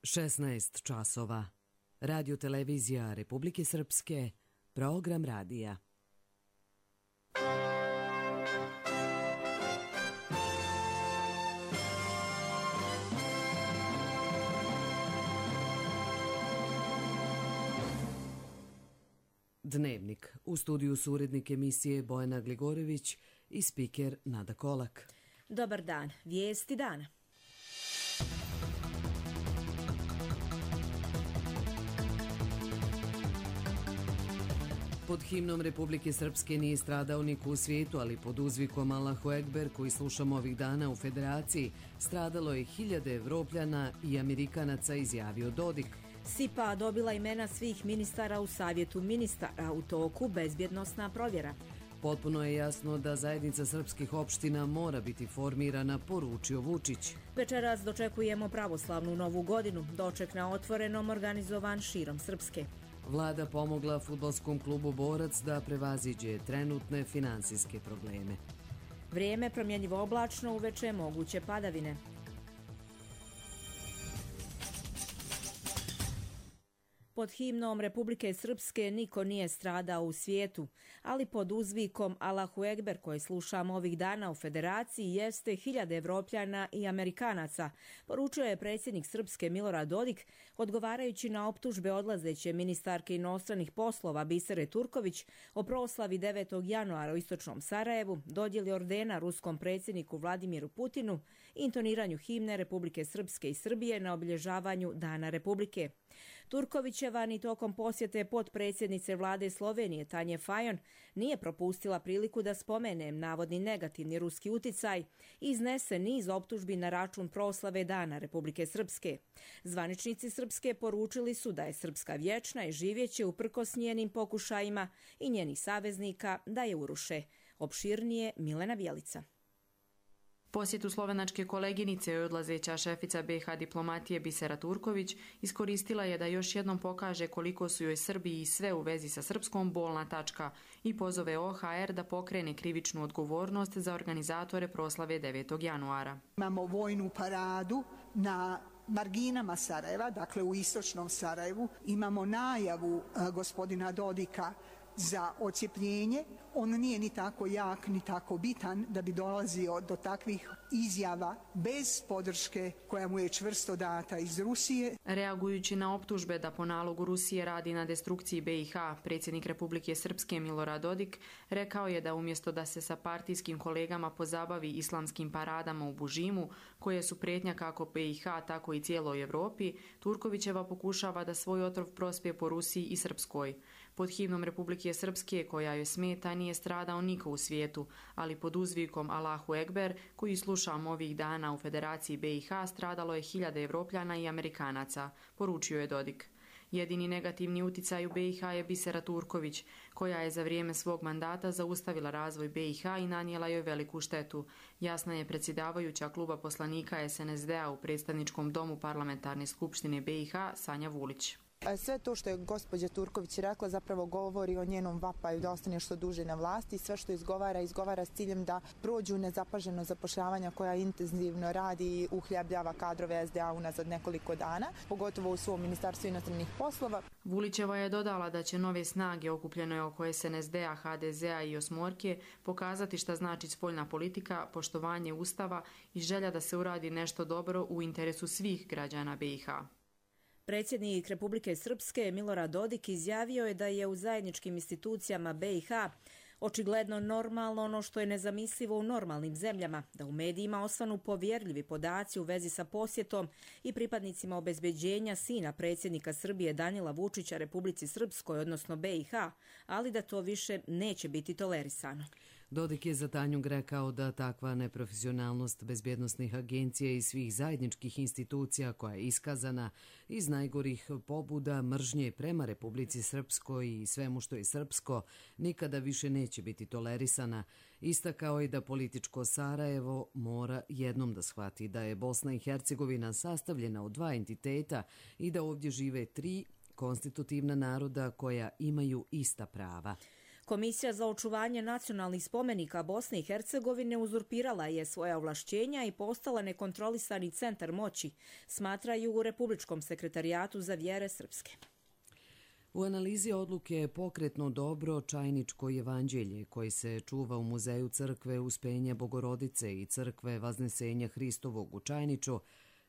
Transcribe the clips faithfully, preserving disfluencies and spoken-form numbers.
šesnaest časova. Radio televizija Republike Srpske, program radija. Dnevnik. U studiju su urednik emisije Bojana Gligorević i spiker Nada Kolak. Dobar dan. Vijesti dana. Pod himnom Republike Srpske nije stradao niko u svijetu, ali pod uzvikom Allahu Ekber, koji slušamo ovih dana u Federaciji, stradalo je hiljade Evropljana i Amerikanaca, izjavio Dodik. S I P A dobila imena svih ministara u Savjetu ministara, u toku bezbjednosna provjera. Potpuno je jasno da zajednica srpskih opština mora biti formirana, poručio Vučić. Večeras dočekujemo pravoslavnu novu godinu, doček na otvorenom organizovan širom Srpske. Vlada pomogla fudbalskom klubu Borac da prevaziđe trenutne finansijske probleme. Vrijeme promjenjivo oblačno, uveče moguće padavine. Pod himnom Republike Srpske niko nije stradao u svijetu, ali pod uzvikom Allahu Ekber, koji slušamo ovih dana u Federaciji, jeste hiljade Evropljana i Amerikanaca, poručio je predsjednik Srpske Milorad Dodik, odgovarajući na optužbe odlazeće ministarke inostranih poslova Bisere Turković o proslavi devetog januara u istočnom Sarajevu, dodjeli ordena ruskom predsjedniku Vladimiru Putinu i intoniranju himne Republike Srpske i Srbije na obilježavanju Dana Republike. Turkovićeva ni tokom posjete potpredsjednice vlade Slovenije Tanje Fajon nije propustila priliku da spomene navodni negativni ruski uticaj i iznese niz optužbi na račun proslave Dana Republike Srpske. Zvaničnici Srpske poručili su da je Srpska vječna i živjeće uprkos njenim pokušajima i njenih saveznika da je uruše. Opširnije Milena Bjelica. Posjetu slovenačke koleginice i odlazeća šefica B iH diplomatije Bisera Turković iskoristila je da još jednom pokaže koliko su joj Srbiji sve u vezi sa Srpskom bolna tačka i pozove O H R da pokrene krivičnu odgovornost za organizatore proslave devetog januara. Imamo vojnu paradu na marginama Sarajeva, dakle u istočnom Sarajevu. Imamo najavu uh, gospodina Dodika za odcijepljenje. On nije ni tako jak, ni tako bitan da bi dolazio do takvih izjava bez podrške koja mu je čvrsto data iz Rusije. Reagujući na optužbe da po nalogu Rusije radi na destrukciji B iH, predsjednik Republike Srpske Milorad Dodik rekao je da umjesto da se sa partijskim kolegama pozabavi islamskim paradama u Bužimu, koje su prijetnja kako B iH, tako i cijeloj Evropi, Turkovićeva pokušava da svoj otrov prospije po Rusiji i Srpskoj. Pod himnom Republike Srpske, koja joj smeta, nije stradao niko u svijetu, ali pod uzvikom Allahu Ekber, koji slušamo ovih dana u Federaciji B iH, stradalo je hiljade Evropljana i Amerikanaca, poručio je Dodik. Jedini negativni uticaj u B iH je Bisera Turković, koja je za vrijeme svog mandata zaustavila razvoj B iH i nanijela joj veliku štetu. Jasna je predsjedavajuća kluba poslanika S N S D-a u predstavničkom domu parlamentarne skupštine B iH Sanja Vulić. Sve to što je gospođa Turković rekla zapravo govori o njenom vapaju da ostane što duže na vlasti. Sve što izgovara, izgovara s ciljem da prođu nezapaženo zapošljavanja koja intenzivno radi i uhljebljava kadrove S D A unazad nekoliko dana, pogotovo u svom ministarstvu inostranih poslova. Vulićeva je dodala da će nove snage okupljene oko S N S D-a, H D Z-a i Osmorke pokazati šta znači spoljna politika, poštovanje Ustava i želja da se uradi nešto dobro u interesu svih građana B iH. Predsjednik Republike Srpske Milorad Dodik izjavio je da je u zajedničkim institucijama B iH očigledno normalno ono što je nezamislivo u normalnim zemljama, da u medijima osvanu povjerljivi podaci u vezi sa posjetom i pripadnicima obezbeđenja sina predsjednika Srbije Danila Vučića Republici Srpskoj, odnosno B iH, ali da to više neće biti tolerisano. Dodik je za Tanjug rekao da takva neprofesionalnost bezbjednosnih agencija i svih zajedničkih institucija koja je iskazana iz najgorih pobuda mržnje prema Republici Srpskoj i svemu što je srpsko nikada više neće biti tolerisana. Istakao je da političko Sarajevo mora jednom da shvati da je Bosna i Hercegovina sastavljena od dva entiteta i da ovdje žive tri konstitutivna naroda koja imaju ista prava. Komisija za očuvanje nacionalnih spomenika Bosne i Hercegovine uzurpirala je svoja ovlašćenja i postala nekontrolisani centar moći, smatraju u Republičkom sekretarijatu za vjere srpske. U analizi odluke je pokretno dobro Čajničko evanđelje koji se čuva u muzeju crkve Uspenja Bogorodice i crkve Vaznesenja Hristovog u Čajniču.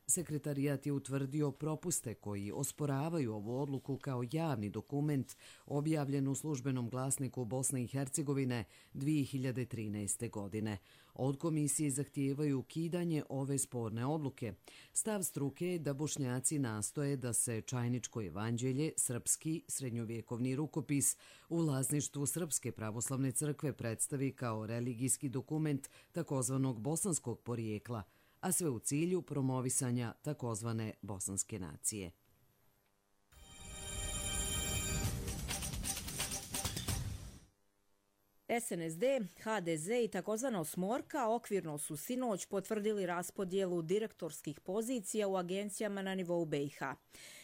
Sekretarijat je utvrdio propuste koji osporavaju ovu odluku kao javni dokument objavljen u službenom glasniku Bosne i Hercegovine dvije hiljade trinaeste. godine. Od komisije zahtijevaju ukidanje ove sporne odluke. Stav struke je da Bošnjaci nastoje da se Čajničko evanđelje, srpski srednjovjekovni rukopis, u vlasništvu Srpske pravoslavne crkve predstavi kao religijski dokument takozvanog bosanskog porijekla, a sve u cilju promovisanja takozvane bosanske nacije. S N S D, H D Z i takozvana osmorka okvirno su sinoć potvrdili raspodjelu direktorskih pozicija u agencijama na nivou B i H.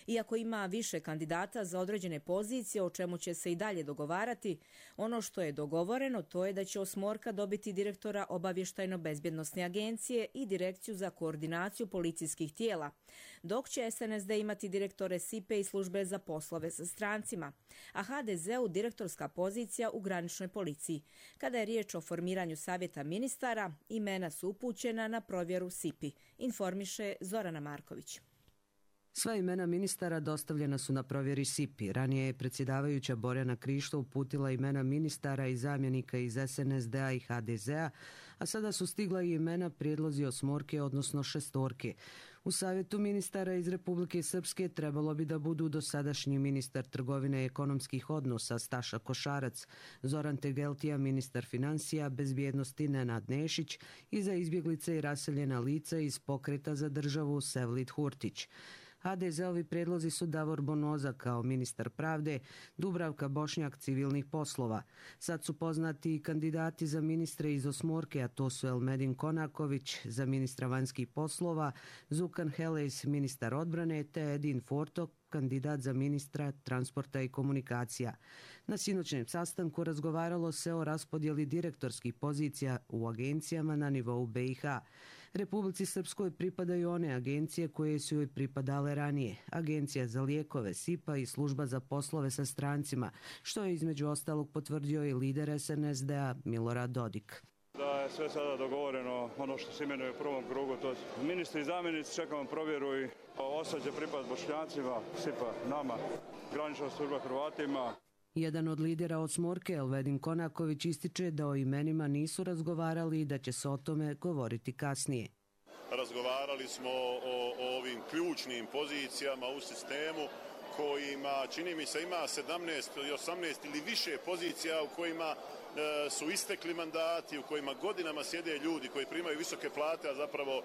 Iako ima više kandidata za određene pozicije, o čemu će se i dalje dogovarati, ono što je dogovoreno to je da će osmorka dobiti direktora obavještajno-bezbjednosne agencije i direkciju za koordinaciju policijskih tijela, dok će S N S D imati direktore S I P E i službe za poslove sa strancima, a H D Z-u direktorska pozicija u graničnoj policiji. Kada je riječ o formiranju savjeta ministara, imena su upućena na provjeru S I P I, informiše Zorana Marković. Sva imena ministara dostavljena su na provjeri S I P I. Ranije je predsjedavajuća Borjana Krišto uputila imena ministara i zamjenika iz S N S D-a i H D Z-a, a sada su stigla i imena prijedlozi osmorke, odnosno šestorke. U savjetu ministara iz Republike Srpske trebalo bi da budu dosadašnji ministar trgovine i ekonomskih odnosa Staša Košarac, Zoran Tegeltija ministar financija, bezbjednosti Nenad Nešić i za izbjeglice i raseljena lica iz Pokreta za državu Sevlid Hurtić. H D Z-ovi predlozi su Davor Bonoza kao ministar pravde, Dubravka Bošnjak civilnih poslova. Sad su poznati i kandidati za ministre iz osmorke, a to su Elmedin Konaković za ministra vanjskih poslova, Zukan Helejs ministar odbrane te Edin Fortok kandidat za ministra transporta i komunikacija. Na sinoćnem sastanku razgovaralo se o raspodjeli direktorskih pozicija u agencijama na nivou B i H. Republici Srpskoj pripadaju one agencije koje su joj pripadale ranije. Agencija za lijekove, S I P A i služba za poslove sa strancima, što je između ostalog potvrdio i lider S N S D-a Milorad Dodik. Da je sve sada dogovoreno, ono što se imenuje u prvom krugu, to ministri i zamjenici, čekamo provjeru i osad će pripad Bošnjacima, S I P A nama, granična služba Hrvatima. Jedan od lidera osmorke, Elvedin Konaković, ističe da o imenima nisu razgovarali i da će se o tome govoriti kasnije. Razgovarali smo o, o ovim ključnim pozicijama u sistemu kojima, čini mi se, ima sedamnaest ili osamnaest ili više pozicija u kojima e, su istekli mandati, u kojima godinama sjede ljudi koji primaju visoke plate, a zapravo e,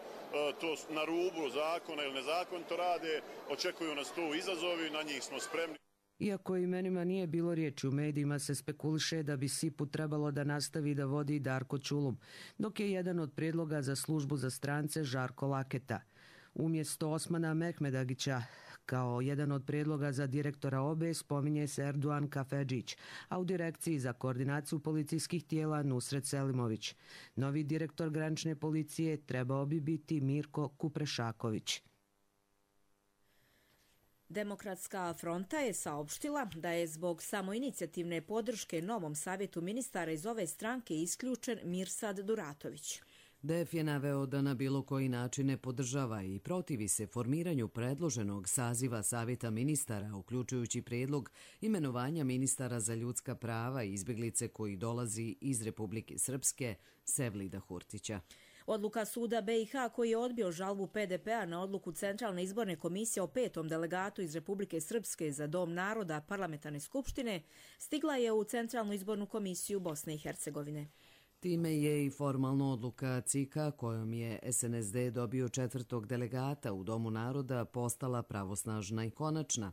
to na rubu zakona ili nezakonito rade. Očekuju nas tu izazovi, na njih smo spremni. Iako imenima nije bilo riječi, u medijima se spekuliše da bi S I P U trebalo da nastavi da vodi Darko Čulum, dok je jedan od prijedloga za službu za strance Žarko Laketa. Umjesto Osmana Mehmedagića, kao jedan od prijedloga za direktora O B E spominje se Erduan Kafedžić, a u direkciji za koordinaciju policijskih tijela Nusret Selimović. Novi direktor granične policije trebao bi biti Mirko Kuprešaković. Demokratska fronta je saopštila da je zbog samoinicijativne podrške novom savjetu ministara iz ove stranke isključen Mirsad Duratović. D F je naveo da na bilo koji način ne podržava i protivi se formiranju predloženog saziva savjeta ministara, uključujući prijedlog imenovanja ministara za ljudska prava i izbjeglice koji dolazi iz Republike Srpske, Sevlida Hurtića. Odluka suda B i H koji je odbio žalbu P D P-a na odluku Centralne izborne komisije o petom delegatu iz Republike Srpske za Dom naroda Parlamentarne skupštine stigla je u Centralnu izbornu komisiju Bosne i Hercegovine. Time je i formalna odluka C I K-a kojom je S N S D dobio četvrtog delegata u Domu naroda postala pravosnažna i konačna.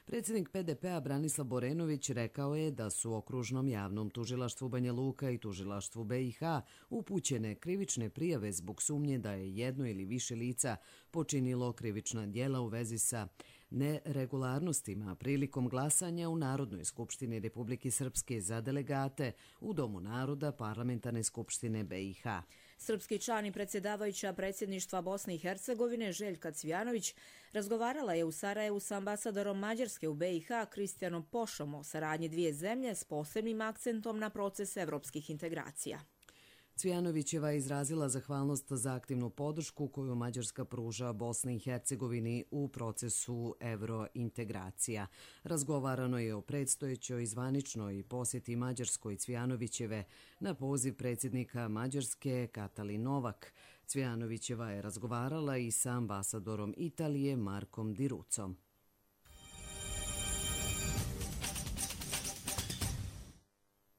Predsjednik P D P-a Branislav Borenović rekao je da su okružnom javnom tužilaštvu Banja Luka i tužilaštvu B i H upućene krivične prijave zbog sumnje da je jedno ili više lica počinilo krivična djela u vezi sa neregularnostima prilikom glasanja u Narodnoj skupštini Republike Srpske za delegate u Domu naroda Parlamentarne skupštine B i H. Srpski član i predsjedavajuća predsjedništva Bosne i Hercegovine Željka Cvijanović razgovarala je u Sarajevu s ambasadorom Mađarske u B i H Kristijanom Pošom o saradnji dvije zemlje s posebnim akcentom na proces evropskih integracija. Cvijanovićeva je izrazila zahvalnost za aktivnu podršku koju Mađarska pruža Bosni i Hercegovini u procesu evrointegracija. Razgovarano je o predstojećoj zvaničnoj posjeti Mađarskoj Cvijanovićeve na poziv predsjednika Mađarske Katalin Novak. Cvijanovićeva je razgovarala i sa ambasadorom Italije Markom Di Ruzzom.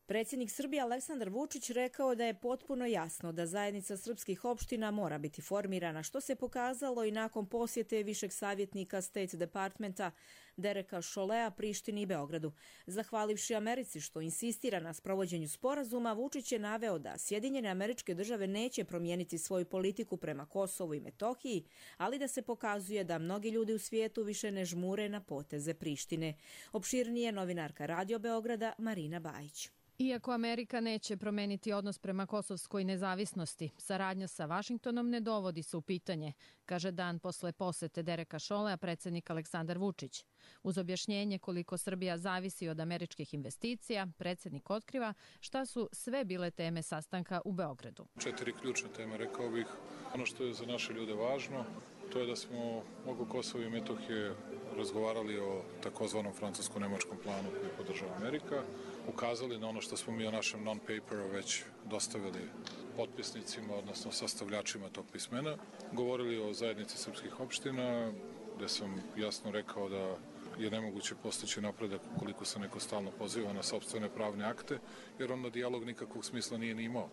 Predsjednik Srbije Aleksandar Vučić rekao da je potpuno jasno da zajednica srpskih opština mora biti formirana, što se pokazalo i nakon posjete višeg savjetnika State Departmenta Dereka Cholletea Prištini i Beogradu. Zahvalivši Americi što insistira na sprovođenju sporazuma, Vučić je naveo da Sjedinjene Američke Države neće promijeniti svoju politiku prema Kosovu i Metohiji, ali da se pokazuje da mnogi ljudi u svijetu više ne žmure na poteze Prištine. Opširnije novinarka Radio Beograda Marina Bajić. Iako Amerika neće promeniti odnos prema kosovskoj nezavisnosti, saradnja sa Vašingtonom ne dovodi se u pitanje, kaže dan posle posete Dereka Cholletea predsjednik Aleksandar Vučić. Uz objašnjenje koliko Srbija zavisi od američkih investicija, predsjednik otkriva šta su sve bile teme sastanka u Beogradu. Četiri ključne teme, rekao bih. Ono što je za naše ljude važno, to je da smo oko Kosova i Metohije razgovarali o takozvanom francusko-nemačkom planu koji podržava Amerika, ukazali na ono što smo mi o našem non-paperu već dostavili potpisnicima, odnosno sastavljačima tog pismena. Govorili o zajednici srpskih opština, gde sam jasno rekao da je nemoguće postići napredak ukoliko se neko stalno poziva na sopstvene pravne akte, jer onda dijalog nikakvog smisla nije ni imao.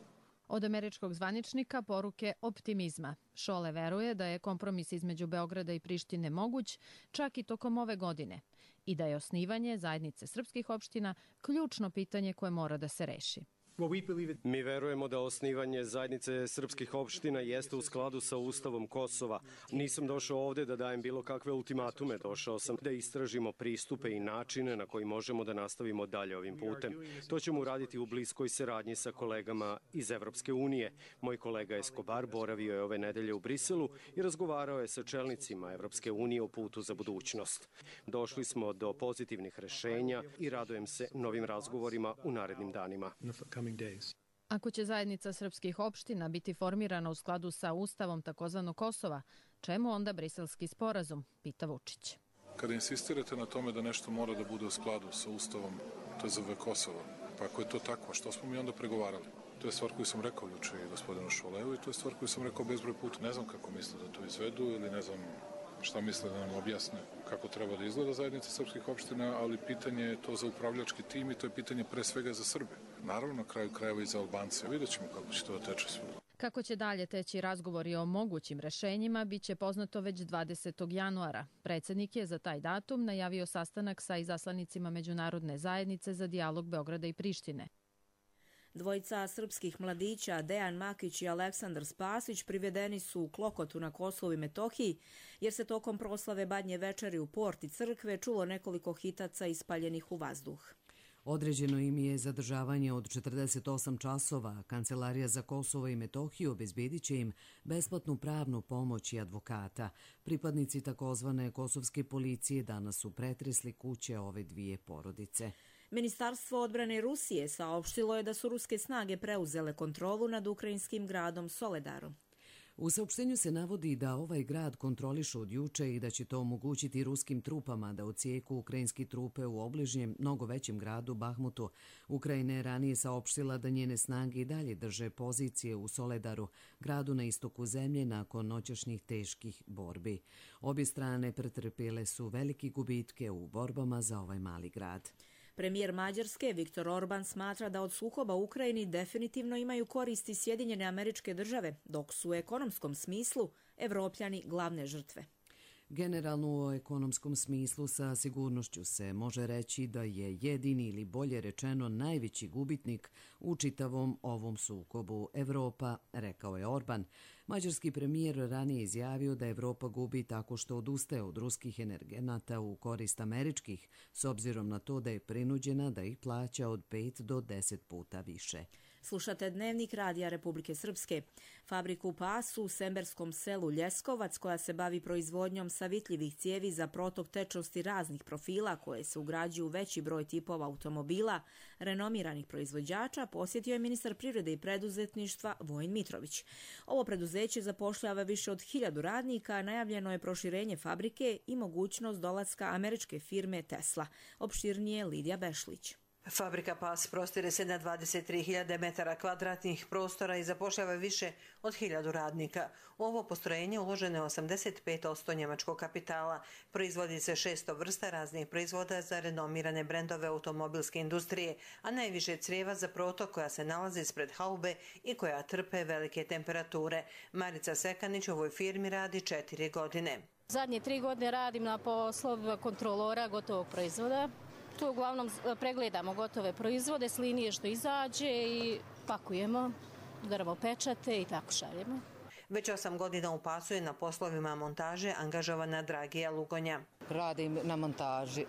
Od američkog zvaničnika poruke optimizma. Chollet veruje da je kompromis između Beograda i Prištine moguć čak i tokom ove godine i da je osnivanje zajednice srpskih opština ključno pitanje koje mora da se reši. Mi verujemo da osnivanje zajednice srpskih opština jeste u skladu sa Ustavom Kosova. Nisam došao ovde da dajem bilo kakve ultimatume, došao sam da istražimo pristupe i načine na koji možemo da nastavimo dalje ovim putem. To ćemo uraditi u bliskoj saradnji sa kolegama iz Evropske unije. Moj kolega Escobar boravio je ove nedelje u Briselu i razgovarao je sa čelnicima Evropske unije o putu za budućnost. Došli smo do pozitivnih rešenja i radujem se novim razgovorima u narednim danima. Ako će zajednica srpskih opština biti formirana u skladu sa Ustavom takozvanog Kosova, čemu onda briselski sporazum, pita Vučić. Kada insistirate na tome da nešto mora da bude u skladu sa Ustavom T Z V Kosova, pa ako je to tako, što smo mi onda pregovarali? To je stvar koju sam rekao juče i gospodinu Cholletu i to je stvar koju sam rekao bezbroj puta. Ne znam kako misle da to izvedu ili ne znam šta misle da nam objasne kako treba da izgleda zajednica srpskih opština, ali pitanje je to za upravljački tim i to je pitanje pre svega za Srbe. Naravno, na kraju krajeva i za Albance. Vidjet ćemo kako će to da teče sve. Kako će dalje teći razgovori o mogućim rešenjima, bit će poznato već dvadesetog januara. Predsjednik je za taj datum najavio sastanak sa izaslanicima međunarodne zajednice za dijalog Beograda i Prištine. Dvojica srpskih mladića, Dejan Makić i Aleksandar Spasić, privedeni su u Klokotu na Kosovu i Metohiji, jer se tokom proslave Badnje večeri u porti crkve čulo nekoliko hitaca ispaljenih u vazduh. Određeno im je zadržavanje od četrdeset osam časova. Kancelarija za Kosovo i Metohiju obezbedit će im besplatnu pravnu pomoć i advokata. Pripadnici takozvane kosovske policije danas su pretresli kuće ove dvije porodice. Ministarstvo odbrane Rusije saopštilo je da su ruske snage preuzele kontrolu nad ukrajinskim gradom Soledarom. U saopštenju se navodi da ovaj grad kontrolišu od juče i da će to omogućiti ruskim trupama da odsijeku ukrajinski trupe u obližnjem, mnogo većem gradu Bahmutu. Ukrajina je ranije saopštila da njene snage i dalje drže pozicije u Soledaru, gradu na istoku zemlje nakon noćašnjih teških borbi. Obje strane pretrpjele su velike gubitke u borbama za ovaj mali grad. Premijer Mađarske Viktor Orban smatra da od sukoba u Ukrajini definitivno imaju koristi Sjedinjene Američke Države, dok su u ekonomskom smislu Evropljani glavne žrtve. Generalno u ekonomskom smislu sa sigurnošću se može reći da je jedini ili bolje rečeno najveći gubitnik u čitavom ovom sukobu Evropa, rekao je Orban. Mađarski premijer ranije izjavio da Evropa gubi tako što odustaje od ruskih energenata u korist američkih, s obzirom na to da je prinuđena da ih plaća od pet do deset puta više. Slušate Dnevnik Radija Republike Srpske. Fabriku Pasu u semberskom selu Ljeskovac, koja se bavi proizvodnjom savitljivih cijevi za protok tečnosti raznih profila koje se ugrađuju u veći broj tipova automobila, renomiranih proizvođača, posjetio je ministar privrede i preduzetništva Vojin Mitrović. Ovo preduzeće zapošljava više od hiljadu radnika, najavljeno je proširenje fabrike i mogućnost dolaska američke firme Tesla. Opširnije Lidija Bešlić. Fabrika Pas prostire se na dvadeset tri hiljade metara kvadratnih prostora i zapošljava više od hiljadu radnika. U ovo postrojenje uloženo je osamdeset pet posto njemačkog kapitala. Proizvodi se šesto vrsta raznih proizvoda za renomirane brendove automobilske industrije, a najviše crijeva za protok koja se nalazi ispred haube i koja trpe velike temperature. Marica Sekanić u ovoj firmi radi četiri godine. Zadnje tri godine radim na poslovima kontrolora gotovog proizvoda. Tu uglavnom pregledamo gotove proizvode s linije što izađe i pakujemo, udaramo pečate i tako šaljemo. Već osam godina u Pasu je na poslovima montaže angažovana Dragija Lugonja. Radim na montaži.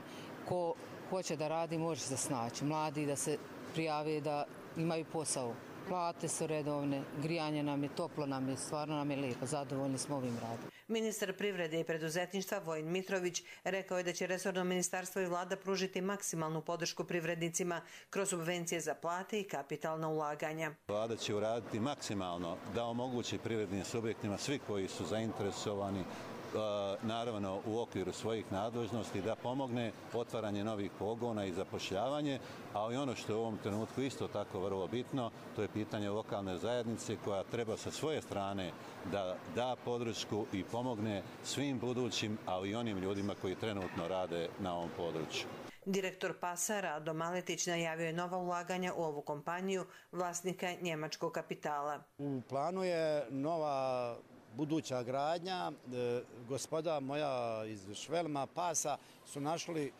Ko hoće da radi može se snaći. Mladi da se prijave da imaju posao. Plate su redovne, grijanje nam je, toplo nam je, stvarno nam je lijepo, zadovoljni smo ovim radom. Ministar privrede i preduzetništva Vojin Mitrović rekao je da će resorno ministarstvo i vlada pružiti maksimalnu podršku privrednicima kroz subvencije za plate i kapitalna ulaganja. Vlada će uraditi maksimalno da omogući privrednim subjektima, svi koji su zainteresovani, naravno u okviru svojih nadležnosti, da pomogne otvaranje novih pogona i zapošljavanje, ali ono što je u ovom trenutku isto tako vrlo bitno, to je pitanje lokalne zajednice koja treba sa svoje strane da da podršku i pomogne svim budućim, ali i onim ljudima koji trenutno rade na ovom području. Direktor Pasa Rado Maletić najavio je nova ulaganja u ovu kompaniju vlasnika njemačkog kapitala. U planu je nova buduća gradnja. E, gospoda moja iz Švelma Pasa su našli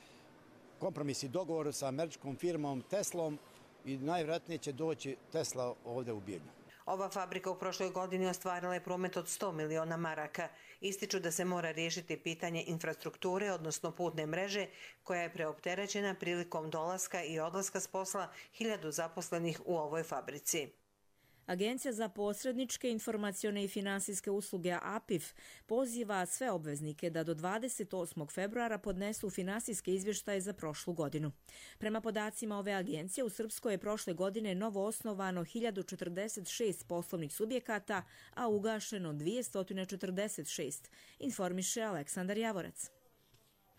kompromis i dogovor sa američkom firmom Teslom i najvjerojatnije će doći Tesla ovdje u Bijeljnu. Ova fabrika u prošloj godini ostvarila je promet od sto miliona maraka. Ističu da se mora riješiti pitanje infrastrukture, odnosno putne mreže, koja je preopterećena prilikom dolaska i odlaska s posla hiljadu zaposlenih u ovoj fabrici. Agencija za posredničke, informacione i finansijske usluge A P I F poziva sve obveznike da do dvadeset osmog februara podnesu finansijske izvještaje za prošlu godinu. Prema podacima ove agencije, u Srpskoj je prošle godine novo osnovano hiljadu četrdeset šest poslovnih subjekata, a ugašeno dvjesto četrdeset šest, informiše Aleksandar Javorac.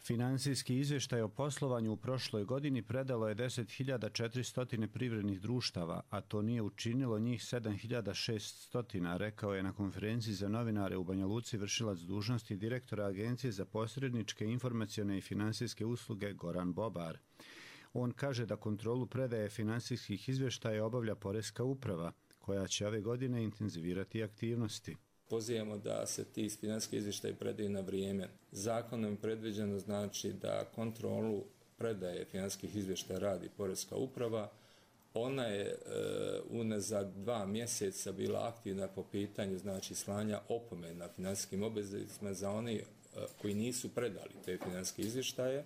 Finansijski izvještaj o poslovanju u prošloj godini predalo je deset hiljada četiristo privrednih društava, a to nije učinilo njih sedam hiljada šesto, rekao je na konferenciji za novinare u Banja Luci vršilac dužnosti direktora Agencije za posredničke, informacione i finansijske usluge Goran Bobar. On kaže da kontrolu predaje finansijskih izvještaja obavlja Poreska uprava, koja će ove godine intenzivirati aktivnosti. Pozivamo da se ti financijski izvještaji predaju na vrijeme. Zakonom je predviđeno znači da kontrolu predaje financijskih izvještaja radi Poreska uprava. Ona je e, unazad dva mjeseca bila aktivna po pitanju znači slanja opomena financijskim obveznicima za oni e, koji nisu predali te financijske izvještaje.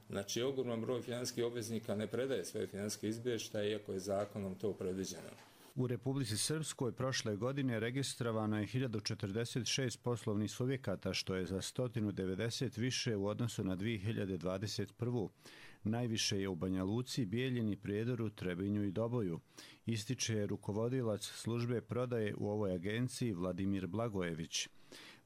Znači, ogroman broj financijskih obveznika ne predaje svoje financijske izvještaje, iako je zakonom to predviđeno. U Republici Srpskoj prošle godine registrovano je hiljadu četrdeset šest poslovnih subjekata, što je za sto devedeset više u odnosu na dvije hiljade dvadeset prvu. Najviše je u Banja Luci, Bijeljini, Prijedoru, Trebinju i Doboju. Ističe rukovodilac službe prodaje u ovoj agenciji Vladimir Blagojević.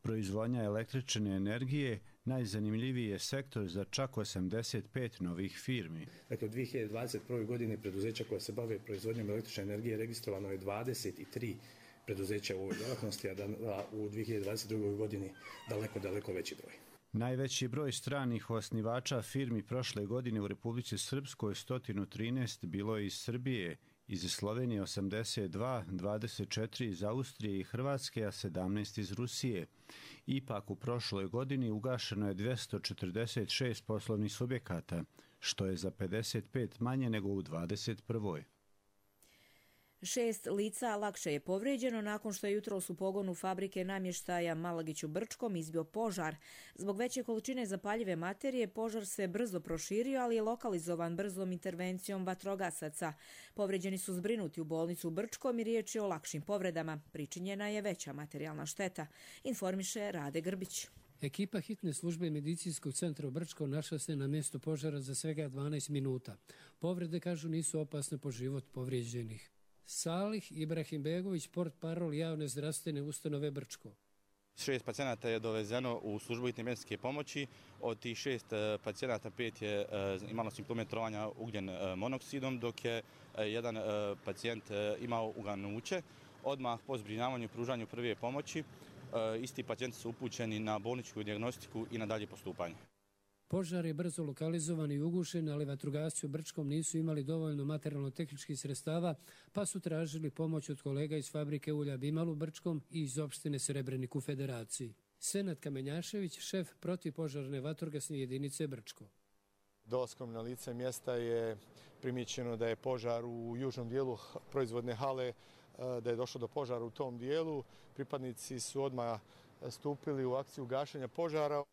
Proizvodnja električne energije najzanimljiviji je sektor za čak osamdeset pet novih firmi. Dakle, u dvije hiljade dvadeset prvoj godini preduzeća koja se bave proizvodnjom električne energije registrovano je dvadeset tri preduzeća u ovoj djelatnosti, a u dvije hiljade dvadeset drugoj godini daleko, daleko veći broj. Najveći broj stranih osnivača firmi prošle godine u Republici Srpskoj sto trinaest bilo je iz Srbije iz Slovenije osamdeset dva, dvadeset četiri iz Austrije i Hrvatske, a sedamnaest iz Rusije. Ipak u prošloj godini ugašeno je dvjesto četrdeset šest poslovnih subjekata, što je za pedeset pet manje nego u dvadeset prvoj. Šest lica lakše je povrijeđeno nakon što je jutros u pogonu fabrike namještaja Malagić u Brčkom izbio požar. Zbog veće količine zapaljive materije požar se brzo proširio, ali je lokalizovan brzom intervencijom vatrogasaca. Povrijeđeni su zbrinuti u bolnicu u Brčkom i riječ je o lakšim povredama. Pričinjena je veća materijalna šteta, informiše Rade Grbić. Ekipa hitne službe medicinskog centra u Brčkom našla se na mjestu požara za svega dvanaest minuta. Povrede, kažu, nisu opasne po život povrijeđenih. Salih Ibrahimbegović, portparol javne zdravstvene ustanove Brčko. Šest pacijenata je dovezeno u službu hitne medicinske pomoći. Od tih šest pacijenata pet je imalo simptome trovanja ugljen monoksidom, dok je jedan pacijent imao uganuće. Odmah po zbrinjavanju i pružanju prve pomoći isti pacijenti su upućeni na bolničku dijagnostiku i na dalje postupanje. Požar je brzo lokalizovan i ugušen, ali vatrogasci u Brčkom nisu imali dovoljno materijalno-tehničkih sredstava, pa su tražili pomoć od kolega iz fabrike ulja Bimal u Brčkom i iz opštine Srebrenik u Federaciji. Senad Kamenjašević, šef protivpožarne vatrogasne jedinice Brčko. Dolaskom na lice mjesta je primijećeno da je požar u južnom dijelu proizvodne hale, da je došlo do požara u tom dijelu. Pripadnici su odmah stupili u akciju gašenja požara.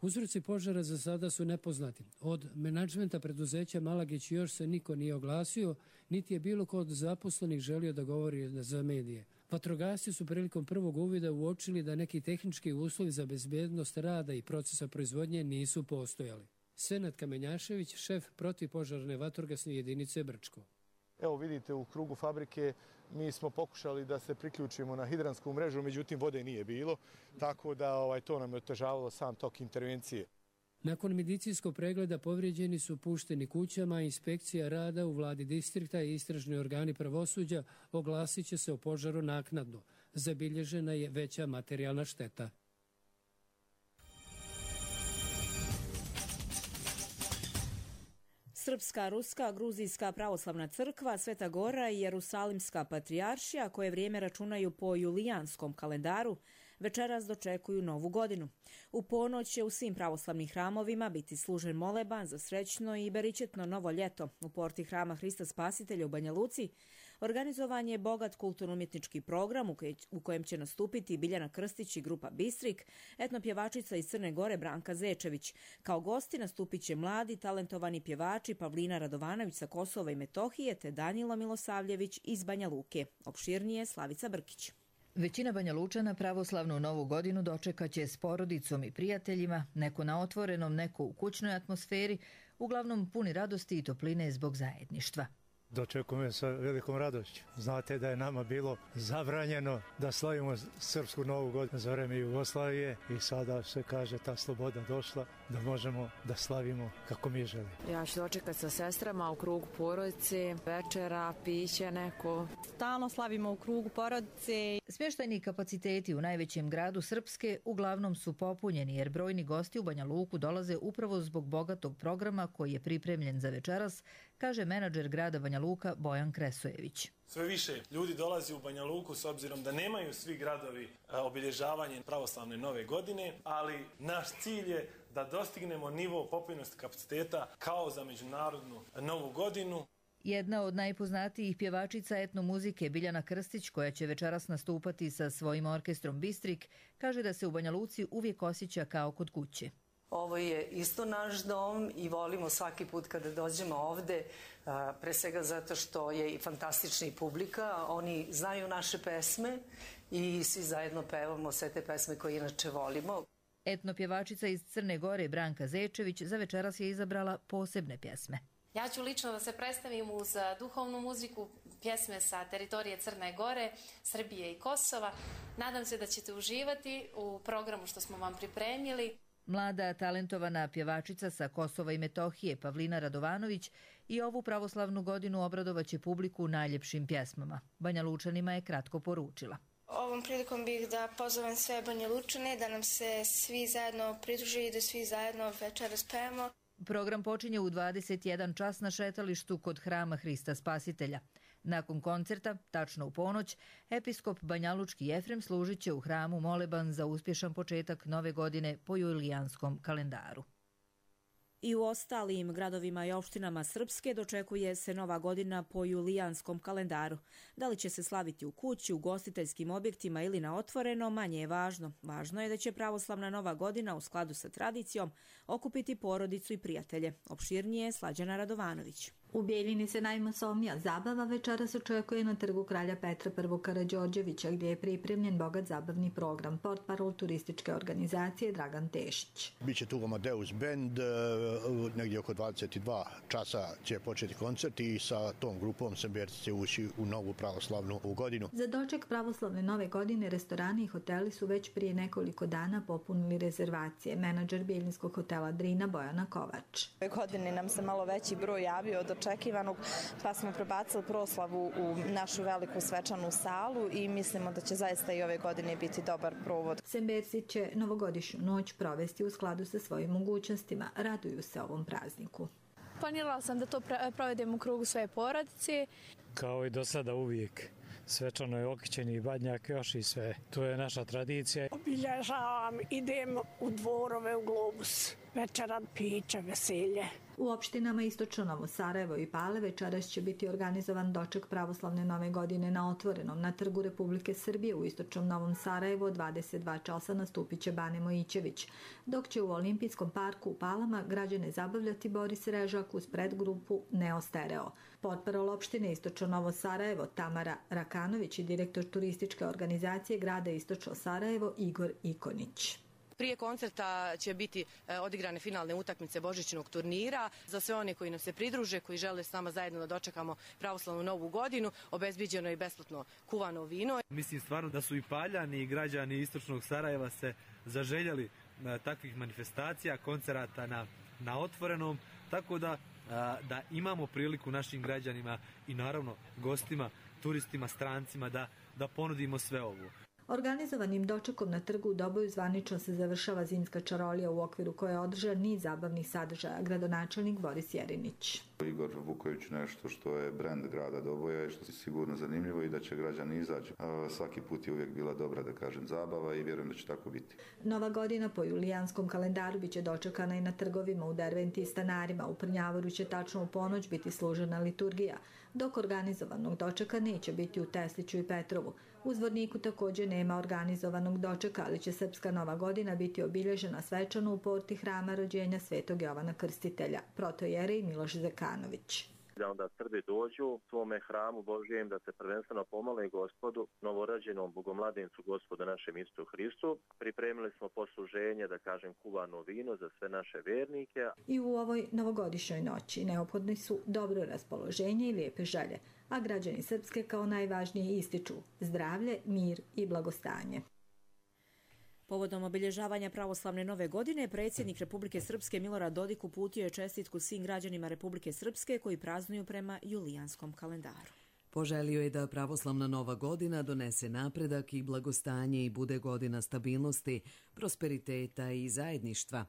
Uzroci požara za sada su nepoznati. Od menadžmenta preduzeća Malagić još se niko nije oglasio, niti je bilo ko od zaposlenih želio da govori za medije. Vatrogasci su prilikom prvog uvida uočili da neki tehnički uslovi za bezbednost rada i procesa proizvodnje nisu postojali. Senad Kamenjašević, šef protivpožarne vatrogasne jedinice Brčko. Evo vidite, u krugu fabrike mi smo pokušali da se priključimo na hidransku mrežu, međutim vode nije bilo, tako da ovaj, to nam je otežavalo sam tok intervencije. Nakon medicinskog pregleda povrijeđeni su pušteni kućama, inspekcija rada u vladi distrikta i istražni organi pravosuđa oglasit će se o požaru naknadno. Zabilježena je veća materijalna šteta. Srpska, Ruska, Gruzijska pravoslavna crkva, Sveta Gora i Jerusalimska patrijaršija, koje vrijeme računaju po julijanskom kalendaru, večeras dočekuju novu godinu. U ponoć će u svim pravoslavnim hramovima biti služen moleban za srećno i beričetno novo ljeto. U porti hrama Hrista Spasitelja u Banja Luci organizovan je bogat kulturno-umjetnički program u kojem će nastupiti Biljana Krstić i grupa Bistrik, etnopjevačica iz Crne Gore Branka Zečević. Kao gosti nastupit će mladi, talentovani pjevači Pavlina Radovanović sa Kosova i Metohije te Danilo Milosavljević iz Banja Luke. Opširnije Slavica Brkić. Većina Banja Lučana pravoslavnu novu godinu dočekaće s porodicom i prijateljima, neko na otvorenom, neko u kućnoj atmosferi, uglavnom puni radosti i topline zbog zajedništva. Dočekujem sa velikom radošću. Znate da je nama bilo zabranjeno da slavimo srpsku novu godinu za vreme Jugoslavije i sada se kaže ta sloboda došla da možemo da slavimo kako mi želimo. Ja ću dočekati sa sestrama u krugu porodice, večera, piće neko. Stalno slavimo u krugu porodice. Smještajni kapaciteti u najvećem gradu Srpske uglavnom su popunjeni jer brojni gosti u Banja Luku dolaze upravo zbog bogatog programa koji je pripremljen za večeras, kaže menadžer grada Banja Luka Bojan Kresojević. Sve više ljudi dolazi u Banja Luku s obzirom da nemaju svi gradovi obilježavanje pravoslavne nove godine, ali naš cilj je da dostignemo nivo popunjenosti kapaciteta kao za međunarodnu novu godinu. Jedna od najpoznatijih pjevačica etnomuzike Biljana Krstić, koja će večeras nastupati sa svojim orkestrom Bistrik, kaže da se u Banja Luci uvijek osjeća kao kod kuće. Ovo je isto naš dom i volimo svaki put kada dođemo ovde, pre svega zato što je i fantastična publika, oni znaju naše pesme i svi zajedno pevamo sve te pesme koje inače volimo. Etnopjevačica iz Crne Gore Branka Zečević za večeras je izabrala posebne pjesme. Ja ću lično da se predstavim uz duhovnu muziku, pjesme sa teritorije Crne Gore, Srbije i Kosova. Nadam se da ćete uživati u programu što smo vam pripremili. Mlada, talentovana pjevačica sa Kosova i Metohije Pavlina Radovanović i ovu pravoslavnu godinu obradovaće publiku najljepšim pjesmama. Banja Lučanima je kratko poručila. Ovom prilikom bih da pozovem sve Banja Lučane da nam se svi zajedno pridruže i da svi zajedno večeras pevamo. Program počinje u dvadeset jedan čas na šetalištu kod hrama Hrista Spasitelja. Nakon koncerta, tačno u ponoć, episkop banjalučki Jefrem služit će u hramu moleban za uspješan početak nove godine po julijanskom kalendaru. I u ostalim gradovima i opštinama Srpske dočekuje se nova godina po julijanskom kalendaru. Da li će se slaviti u kući, u gostiteljskim objektima ili na otvoreno, manje je važno. Važno je da će pravoslavna nova godina u skladu sa tradicijom okupiti porodicu i prijatelje. Opširnije Slađana Radovanović. U Bijeljini se najmasovnija zabava večeras očekuje na trgu kralja Petra I. Karađorđevića, gdje je pripremljen bogat zabavni program. Portparol turističke organizacije Dragan Tešić. Biće tu Amadeus Band, negdje oko dvadeset dva časa će početi koncert i sa tom grupom Semberci će ući u novu pravoslavnu godinu. Za doček pravoslavne nove godine restorani i hoteli su već prije nekoliko dana popunili rezervacije. Menadžer Bijeljinskog hotela Drina Bojana Kovač. Ove godine nam se malo veći broj javio od očekivanog, pa smo prebacili proslavu u našu veliku svečanu salu i mislimo da će zaista i ove godine biti dobar provod. Semberci će novogodišnju noć provesti u skladu sa svojim mogućnostima. Raduju se ovom prazniku. Planirala sam da to provedem u krugu svoje porodice. Kao i do sada uvijek. Svečano je okićeni badnjak još i sve. To je naša tradicija. Obilježavam, idem u dvorove, u Globus. Večeran, piće, veselje. U opštinama Istočno Novo Sarajevo i Pale večeras će biti organizovan doček pravoslavne nove godine na otvorenom. Na Trgu Republike Srbije u Istočnom Novom Sarajevu od dvadeset dva časa nastupit će Bane Mojićević, dok će u Olimpijskom parku u Palama građane zabavljati Boris Režak uz predgrupu Neo Stereo. Portparol opštine Istočno Novo Sarajevo Tamara Rakanović i direktor turističke organizacije grada Istočno Sarajevo Igor Ikonić. Prije koncerta će biti odigrane finalne utakmice božićnog turnira. Za sve one koji nam se pridruže, koji žele s nama zajedno da dočekamo pravoslavnu novu godinu, obezbiđeno je besplatno kuvano vino. Mislim stvarno da su i Paljani i građani Istočnog Sarajeva se zaželjeli takvih manifestacija, koncerata na, na otvorenom, tako da, da imamo priliku našim građanima i naravno gostima, turistima, strancima da, da ponudimo sve ovo. Organizovanim dočekom na trgu u Doboju zvanično se završava zimska čarolija u okviru koje je održan niz zabavnih sadržaja. Gradonačelnik Boris Jerinić. Igor Vuković nešto što je brend grada Doboja i što je sigurno zanimljivo i da će građani izaći. Svaki put je uvijek bila dobra, da kažem, zabava i vjerujem da će tako biti. Nova godina po julijanskom kalendaru biće dočekana i na trgovima u Derventi i Stanarima. U Prnjavoru će tačno u ponoć biti služena liturgija, dok organizovanog dočeka neće biti u Tesliću i Petrovu. U Zvorniku također nema organizovanog dočeka, ali će srpska nova godina biti obilježena svečano u porti hrama rođenja Svetog Jovana Krstitelja. Protojerej Miloš Zekanović. Da onda Srbi dođu svome hramu Božijem da se prvenstveno pomole Gospodu, novorođenom Bogomladencu Gospodu našem Istu Hristu. Pripremili smo posluženje, da kažem, kuvano vino za sve naše vernike. I u ovoj novogodišnjoj noći neophodni su dobro raspoloženje i lijepe želje, a građani Srpske kao najvažnije ističu zdravlje, mir i blagostanje. Povodom obilježavanja pravoslavne nove godine, predsjednik Republike Srpske Milorad Dodik uputio je čestitku svim građanima Republike Srpske koji praznuju prema julijanskom kalendaru. Poželio je da pravoslavna nova godina donese napredak i blagostanje i bude godina stabilnosti, prosperiteta i zajedništva.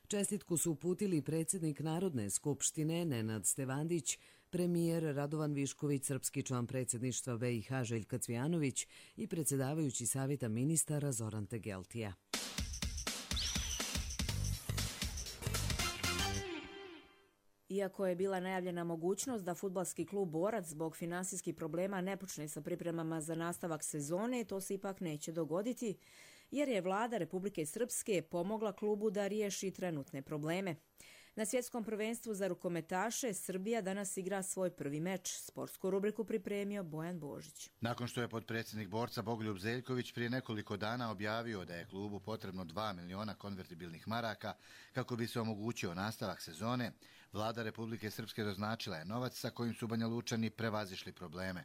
Čestitku su uputili predsjednik Narodne skupštine Nenad Stevandić, premijer Radovan Višković, srpski član predsjedništva B i H Željka Cvijanović i predsjedavajući savjeta ministara Zoran Tegeltija. Iako je bila najavljena mogućnost da fudbalski klub Borac zbog finansijskih problema ne počne sa pripremama za nastavak sezone, to se ipak neće dogoditi, jer je vlada Republike Srpske pomogla klubu da riješi trenutne probleme. Na svjetskom prvenstvu za rukometaše Srbija danas igra svoj prvi meč. Sportsku rubriku pripremio Bojan Božić. Nakon što je potpredsjednik Borca Bogoljub Zeljković prije nekoliko dana objavio da je klubu potrebno dva miliona konvertibilnih maraka kako bi se omogućio nastavak sezone, vlada Republike Srpske doznačila je novac sa kojim su Banjalučani prevazišli probleme.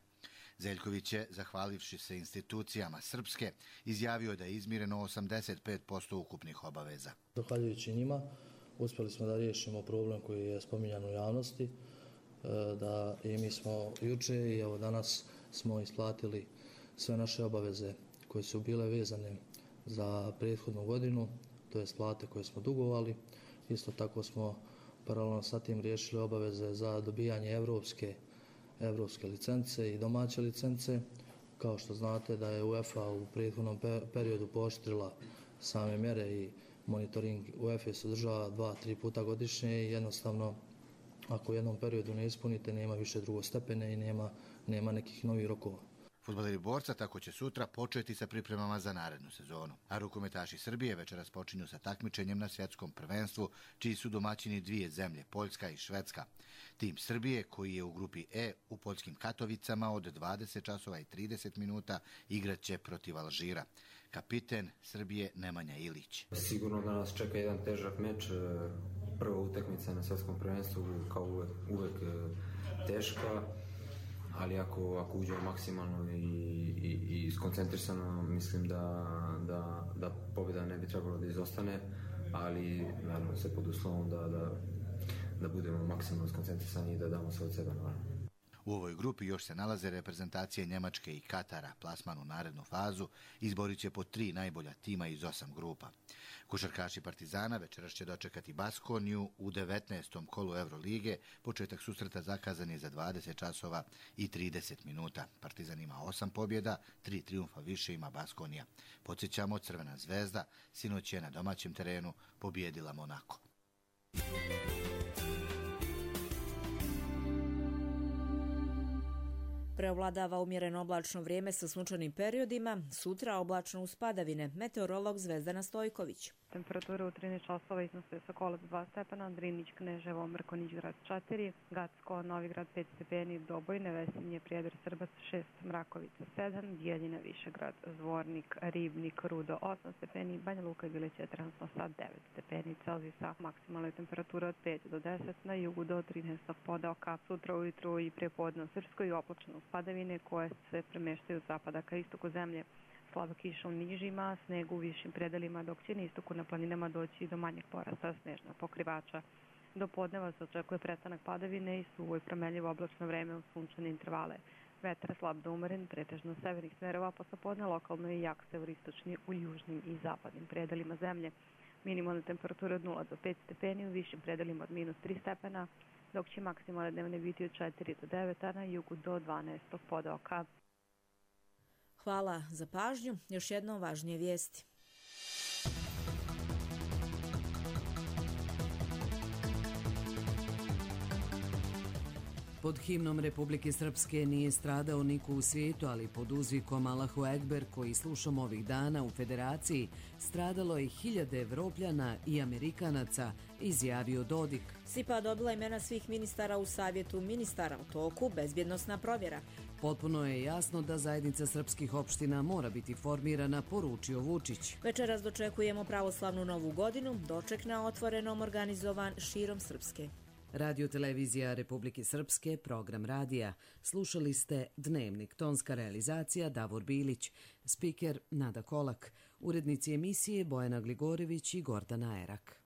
Zeljković je, zahvalivši se institucijama Srpske, izjavio da je izmireno osamdeset pet posto ukupnih obaveza. Zahvaljujući njima, uspjeli smo da riješimo problem koji je spominjan u javnosti, da i mi smo juče i evo danas smo isplatili sve naše obaveze koje su bile vezane za prethodnu godinu, to je plate koje smo dugovali. Isto tako smo paralelno sa tim riješili obaveze za dobijanje evropske evropske licence i domaće licence. Kao što znate da je UEFA u prethodnom periodu pooštrila same mjere i monitoring UEFA se održava dva, tri puta godišnje i jednostavno ako u jednom periodu ne ispunite nema više drugostepene i nema, nema nekih novih rokova. Fudbaleri Borca tako će sutra početi sa pripremama za narednu sezonu. A rukometaši Srbije večeras počinju sa takmičenjem na svjetskom prvenstvu, čiji su domaćini dvije zemlje, Poljska i Švedska. Tim Srbije, koji je u grupi E u poljskim Katovicama od dvadeset časova i trideset minuta, igraće protiv Alžira. Kapiten Srbije Nemanja Ilić. Sigurno da nas čeka jedan težak meč. Prva utakmica na svjetskom prvenstvu kao uvek, uvek teška. Ali ako, ako uđemo maksimalno i, i, i skoncentrisano, mislim da, da, da pobjeda ne bi trebalo da izostane, ali naravno se pod uslovom da, da, da budemo maksimalno skoncentrisani i da damo sve od sebe. Naravno. U ovoj grupi još se nalaze reprezentacije Njemačke i Katara. Plasman u narednu fazu izborit će po tri najbolja tima iz osam grupa. Košarkaši Partizana večeras će dočekati Baskoniju u devetnaestom kolu Eurolige. Početak susreta zakazan je za dvadeset časova i trideset minuta. Partizan ima osam pobjeda, tri trijumfa više ima Baskonija. Podsjećamo, Crvena zvezda sinoć je na domaćem terenu pobjedila Monako. Preovladava umjereno oblačno vrijeme sa sunčanim periodima, sutra oblačno uz padavine. Meteorolog Zvezdana Stojković. Temperature u trinaest časova iznose Sokolac dva stepena, Drinić, Kneževo, Mrkonjić, Grad četiri, Gacko, Novigrad pet stepeni, Dobojne, Vesinje, Prijedor, Srbac šest, Mrakovica sedam, Bijeljina, Višegrad, Zvornik, Ribnik, Rudo osam stepeni, Banja Luka i Bilić je trenutno sa devet stepeni Celzijusa. Maksimalna temperatura od pet do deset, na jugu do trinaest podoka. Sutra ujutru i prepodne u Srpskoj oblačno uz padavine koje se premeštaju od zapada ka istoku zemlje. Slaba kiša u nižima, sneg u višim predelima, dok će na istoku na planinama doći do manjeg porasta snežnog pokrivača. Do podneva se očekuje prestanak padavine i suvo i promenljivo oblačno vreme u sunčane intervale. Vetar slab do umeren, pretežno severnih smerova, posle podne lokalno i jak severistočni u južnim i zapadnim predelima zemlje. Minimalna temperatura od nula do pet stepeni, u višim predelima od minus tri stepena, dok će maksimalne dnevne biti od četiri do devet, a na jugu do dvanaest podoka. Hvala za pažnju. Još jednom važnije vijesti. Pod himnom Republike Srpske nije stradao niko u svijetu, ali pod uzvikom Allahu Ekber, koji slušamo ovih dana u Federaciji, stradalo je hiljade Evropljana i Amerikanaca, izjavio Dodik. SIPA dobila imena svih ministara u savjetu ministara u toku, bezbjednosna provjera. Potpuno je jasno da zajednica srpskih opština mora biti formirana, poručio Vučić. Večeras dočekujemo pravoslavnu novu godinu, doček na otvorenom organizovan širom Srpske. Radio Televizija Republike Srpske, program radija. Slušali ste Dnevnik, tonska realizacija Davor Bilić, spiker Nada Kolak, urednici emisije Bojana Gligorević i Gordana Erak.